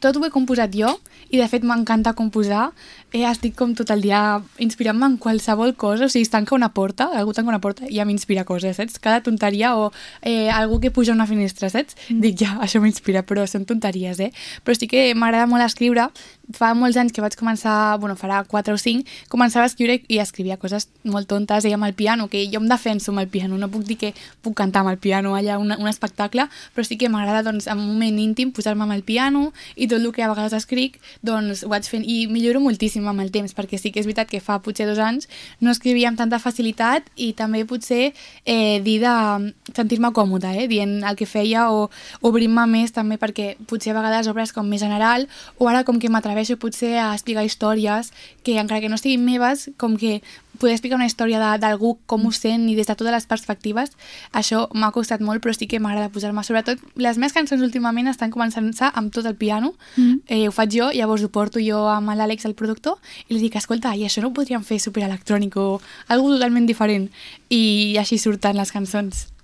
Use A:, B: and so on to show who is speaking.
A: tot ho he composat jo i de fet m'encanta composar. Estic com tot el dia inspirant-me en qualsevol cosa, o sigui, es tanca una porta, algú tanca una porta i ja m'inspira coses, saps? Cada tonteria o algú que puja a una finestra, saps? Dic, ja, això m'inspira, però són tonteries, Però sí que m'agrada molt escriure. Fa molts anys que vaig començar, farà 4 o 5, començava a escriure i escrivia coses molt tontes, amb el piano, que jo em defenso amb el piano, no puc dir que puc cantar amb el piano allà, un espectacle, però sí que m'agrada, doncs, en un moment íntim, posar-me amb el piano i tot el que a vegades escric, doncs ho vaig fent i milloro moltíssim amb el temps, perquè sí que és veritat que fa potser 2 anys no escrivia amb tanta facilitat i també potser dir de sentir-me còmoda, dient el que feia o obrir-me més també, perquè potser a vegades obres com més general o ara com que m'atreveixo potser a explicar històries que encara que no siguin meves, com que poder explicar una història d'algú com ho sent i des de totes les perspectives, això m'ha costat molt, però sí que m'agrada posar-me. Sobretot, les meves cançons últimament estan començant-se amb tot el piano, ho faig jo, llavors ho porto jo amb l'Àlex, el productor, i li dic, escolta, i això no ho podríem fer superelectrònic o algo totalment diferent, i així surten les cançons.